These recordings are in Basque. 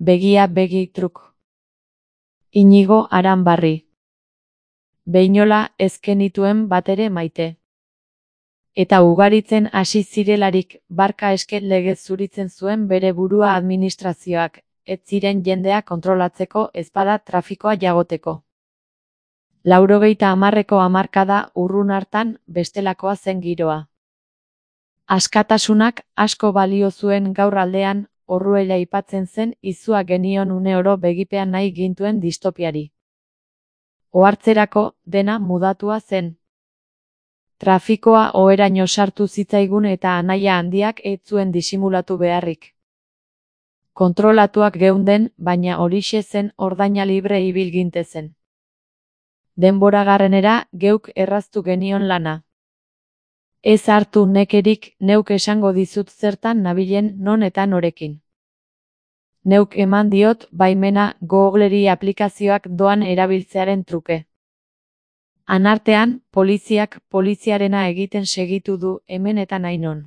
Begia begi truk. Inigo Aranbarri. Behinola ez genituen batere maite. Eta ugaritzen hasi zirelarik, barka eske legez zuritzen zuen bere burua administrazioak, ez ziren jendea kontrolatzeko ezpada trafikoa jagoteko. 80ko hamarkada urrun hartan bestelakoa zen giroa. Askatasunak asko balio zuen gaur aldean, Orruela aipatzen zen izua genion une oro begipean nahi gintuen distopiari. Ohartzerako dena mudatua zen. Trafikoa oheraino sartu zitzaigun eta anaia handiak ez zuen disimulatu beharrik. Kontrolatuak geunden, baina horixe zen ordaina libre ibil gintezen. Denbora garrenera geuk erraztu genion lana. Ez hartu nekerik, neuk esango dizut zertan nabilen non eta norekin. Neuk eman diot baimena Googleri aplikazioak doan erabiltzearen truke. Anartean, poliziak poliziarena egiten segitu du hemen eta nainon.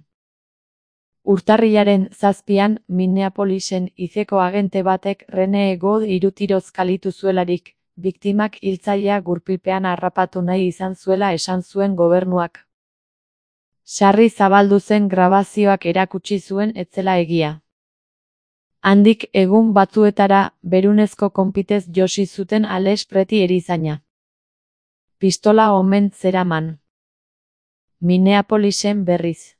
Urtarrilaren 7an, Minneapolisen izeko agente batek Rene God irutiroz kalitu zuelarik, biktimak hiltzailea gurpilpean harrapatu nahi izan zuela esan zuen gobernuak. Sarri zabaldu zen grabazioak erakutsi zuen ez zela egia. Handik egun batzuetara berunezko konpitez josi zuten Alex Preti erizaina. Pistola omen zeraman. Minneapolisen berriz.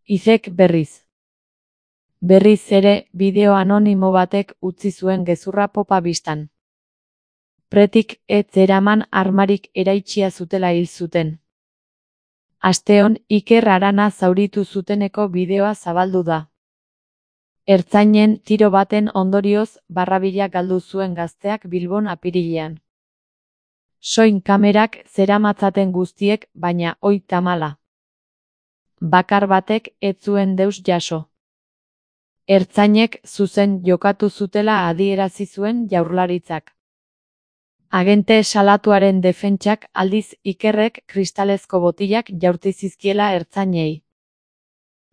Izek berriz. Berriz ere, bideo anonimo batek utzi zuen gezurra popa bistan. Pretik ez zeraman armarik eraitsia zutela hil zuten. Asteon Iker Arana zauritu zuteneko bideoa zabaldu da. Ertzainen tiro baten ondorioz barrabila galdu zuen gazteak Bilbon apirilean. Soin kamerak zeramatzaten guztiek, baina oi tamala. Bakar batek ez zuen deus jaso. Ertzainek zuzen jokatu zutela adierazi zuen Jaurlaritzak. Agente salatuaren defentsak aldiz Ikerrek kristalezko botilak jaurti zizkiela ertzainei.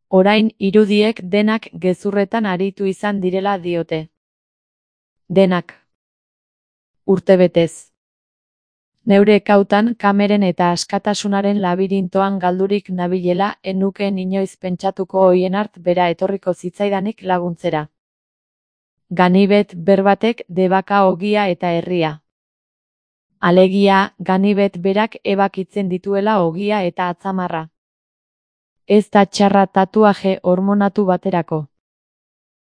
Orain irudiek denak gezurretan aritu izan direla diote. Denak. Urtebetez. Neure kautan kameren eta askatasunaren labirintoan galdurik nabilela enukeen inoiz pentsatuko hoienart bera etorriko zitzaidanik laguntzera. Ganibet berbatek debaka ogia eta herria. Alegia, Ganibet berak ebakitzen dituela ogia eta atzamarra. Ez da txarra tatuaje hormonatu baterako.